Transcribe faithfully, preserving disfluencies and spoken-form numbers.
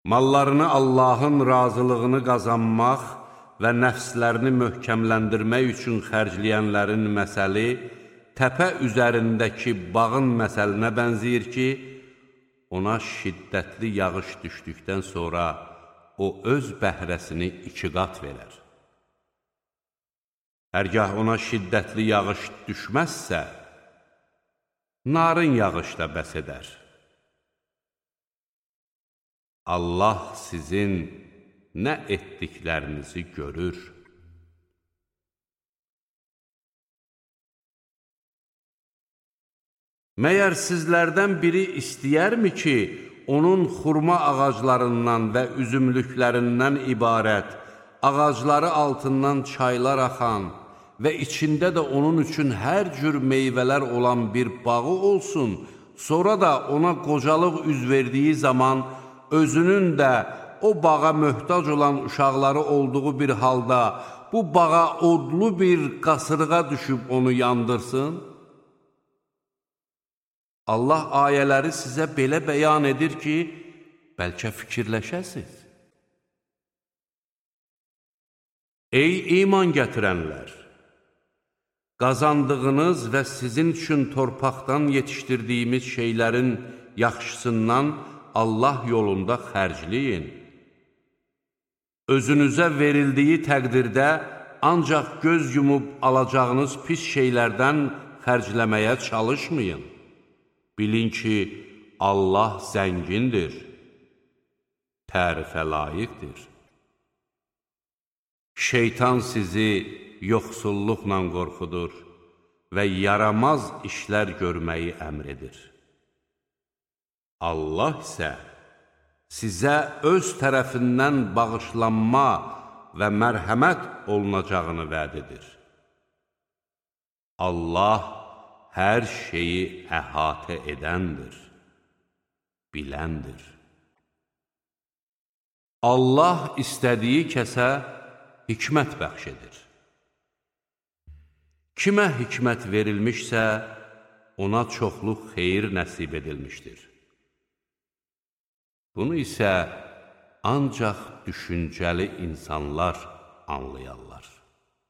Mallarını Allahın razılığını qazanmaq və nəfslərini möhkəmləndirmək üçün xərcləyənlərin məsəli təpə üzərindəki bağın məsəlinə bənzəyir ki, ona şiddətli yağış düşdükdən sonra o öz bəhrəsini iki qat verər. Hərgah ona şiddətli yağış düşməzsə, narın yağış da bəs edər. Allah sizin nə etdiklərinizi görür. Məyər sizlərdən biri istəyərmi ki, onun xurma ağaclarından və üzümlüklərindən ibarət, ağacları altından çaylar axan və içində də onun üçün hər cür meyvələr olan bir bağı olsun, sonra da ona qocalıq üz verdiyi zaman özünün də o bağa möhtac olan uşaqları olduğu bir halda bu bağa odlu bir qasırğa düşüb onu yandırsın? Allah ayələri sizə belə bəyan edir ki, bəlkə fikirləşəsiz. Ey iman gətirənlər! Qazandığınız və sizin üçün torpaqdan yetişdirdiyimiz şeylərin yaxşısından Allah yolunda xərcləyin. Özünüzə verildiyi təqdirdə ancaq göz yumub alacağınız pis şeylərdən xərcləməyə çalışmayın. Bilin ki, Allah zəngindir, tərifə layiqdir. Şeytan sizi yoxsulluqla qorxudur və yaramaz işlər görməyi əmr edir. Allah isə sizə öz tərəfindən bağışlanma və mərhəmət olunacağını vəd edir. Allah hər şeyi əhatə edəndir, biləndir. Allah istədiyi kəsə hikmət bəxş edir. Kimə hikmət verilmişsə, ona çoxluq xeyir nəsib edilmişdir. Bunu isə ancaq düşüncəli insanlar anlayarlar.